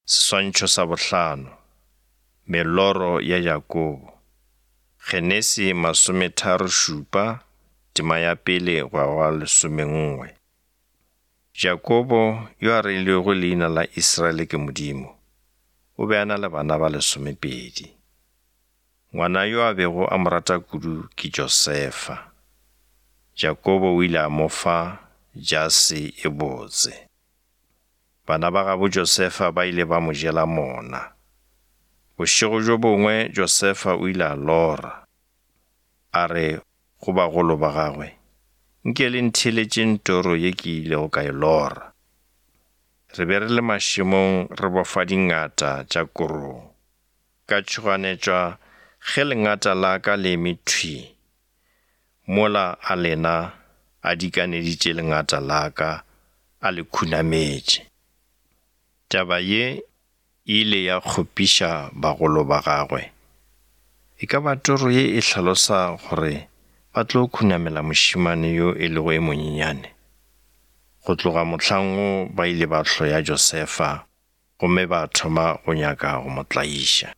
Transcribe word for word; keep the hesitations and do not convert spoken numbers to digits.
Seswantšho sa bohlano, Meloro ya Jakobo. Genesi masometharo šupa, tema ya pele go ya go lesomenngwe. Jakobo, yo a reilwego leina la Israele ke Modimo, o be a na le bana ba lesomepedi. Ngwana yo a bego a mo rata kudu ke Josefa. Jakobo o ile a mo fa jase e botse. Bana ba gabo Josefa ba ile ba mo jela mona. Bošego bjo bongwe Josefa o ile a lora. A re go bagolo ba gagwe, Nke le ntheeletšeng toro ye ke ilego ka e lora. Re be re le mašemong re bofa dingata tša korong. Ka tšhoganetšwa ge lengata la ka le eme thwii, mola a lena a dikaneditše lengata la ka a le khunametše. Taba ye e ile ya kgopiša bagolo ba gagwe. E ka ba toro ye e hlalosa gore ba tlo khunamela mošemane yo e lego e monyenyane? Go tloga mohlang woo ba ile ba hloya Josefa gomme ba thoma go nyaka go mo tlaiša.